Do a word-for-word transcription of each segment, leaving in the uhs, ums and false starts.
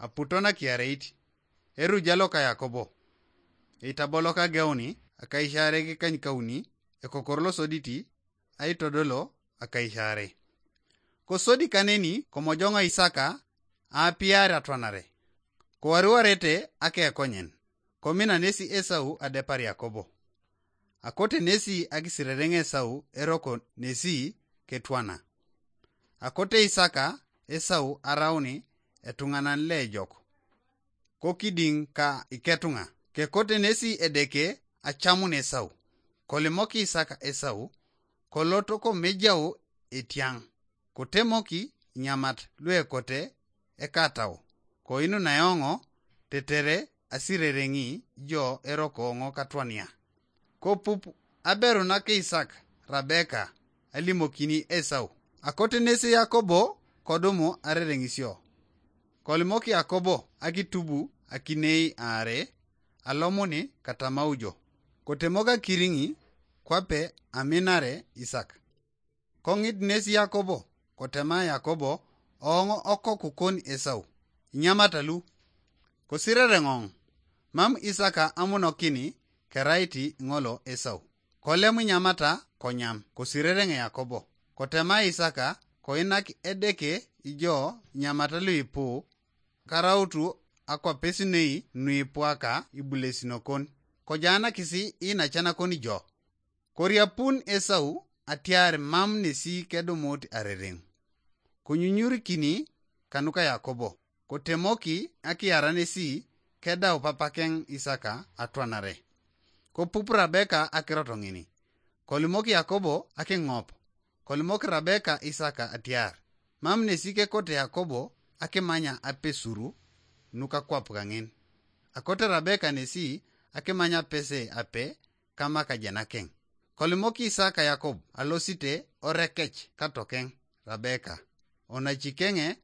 aputo nakiareit, eruja loka Yakobo. Eitaboloka geuni, akaishareki kanykauni, ekokor losoditi, aitodolo akaishare. Kosodi kaneni komojong'o Isaka aapiar atwanare. Kowariwarete akekonyen, komina nesi Esau adepar Yakobo. Akote nesi akisirereng Esau eroko nesi ketwana. Akote Isaka Esau arauni etung'anan lejok. Kokiding ka iketunga, kekote nesi Edeke acamun Esau. Kolimok Isaka Esau, koloto komejau etiang, kotemoki nyamat luekote ekatau, koinu naeoŋo tetere asirereng'i jo eroko ŋo katwania. Kopup aberu nake Isak Rabeka alimokini Esau. Akote nesi Yakobo kodumu arereŋisio. Kolimok Yakobo akitubu akinei aare, alomuni katamaujo. Kotemok akiriŋi kwape aminare Isak. Koŋit nesi Yakobo, kotema Yakobo, ooŋ okoku kon Esau, inyamata lu. Kosirereŋoŋ, mam Isaka amunokini keraiti ŋolo Esau. Kolem inyamata konyam, kosirereŋ Yakobo. Kotema Isaka, koinak Edeke ijo inyamata luipu, karautu akwapesinei nuipuaka ibulesinokon. Kojaanakisi iinacanakon ijo. Koriapun Esau atiar mam nesi kedumut arereŋ. Konyunyurikini kanuka Yakobo, kotemoki akiaranesi kedau papakeŋ Isaka atwanare. Kopup Rabeka akirot ŋini. Kolimok Yakobo akiŋop. Kolimok Rabeka Isaka atiar, mam nesi kekote Yakobo akimanya apesuru nukakwap kaŋin. Akote Rabeka nesi akimanya apese ape kama kajenakeŋ. Kolimok Isaka Yakob alosite orekec katokeŋ Rabeka, onacikeŋe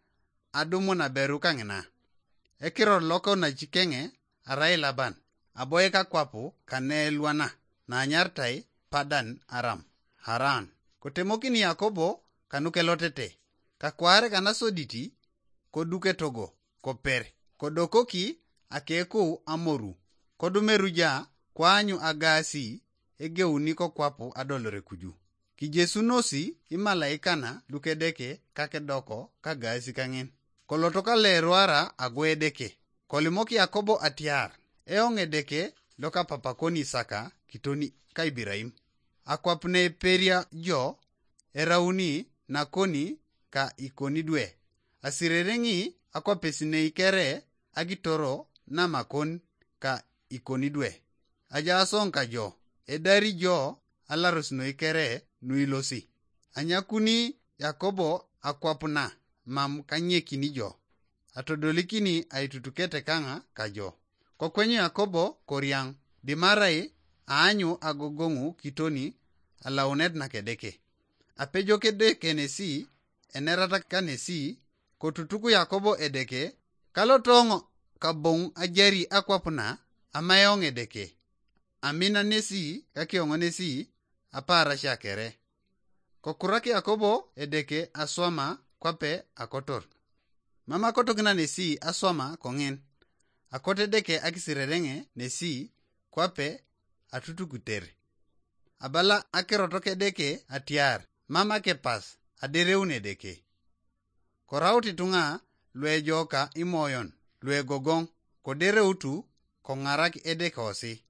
adumun aberu kaŋina. Ekiror loka onacikeŋe arai Laban, aboik akwapu kaneelwana, nanyartai Padan Aram, Haran. Kotemokini Yakobo kanukelotete, kakwaar kanasoditi, koduk etogo, koper, kodokoki akekou amoru, kodumeruja koanyu agaasi egeuni kokwapu adolore kuju. Kijesunosi imalaikana lukedeke kakedoko kagaasi kaŋin. Koloto kaleruara ago Edeke. Kolimok Yakobo atiar, eoŋ Edeke lokapapakon Isaka kitoni ka Ibiraim. Akwap neperia jo erauni nakoni ka ikoni dwe. Asirereŋi akwapesinei kere akitoro namakon ka ikoni dwe. Ajaas oŋ kajo, edari jo alaros noi kere nuilosi. Anyakuni Yakobo akwap na mam kanyekini jo. Atodolikini aitutukete kaŋa kajo. Kokwenyu Yakobo koriaŋ, dimarai aanyu agogoŋu kitoni alaunet nakedeke. Apejok Edeke nesi, enerata kanesi, kotutuk Yakobo Edeke, kalotoŋ kaboŋ ajari akwap na amaeoŋ Edeke. Amina nesi kakioŋonesi apaarasia kere. Kokurak Yakobo Edeke aswama kwape akotor. Mam akotokin anesi aswama koŋin. Akot Edeke akisirereŋe nesi kwape atutukuter. Abala akirot Edeke atiar, mam akepas adereun Edeke. Koraut ituŋa luejoka imoyon luegogoŋ, kodereutu koŋarak Edeke osi.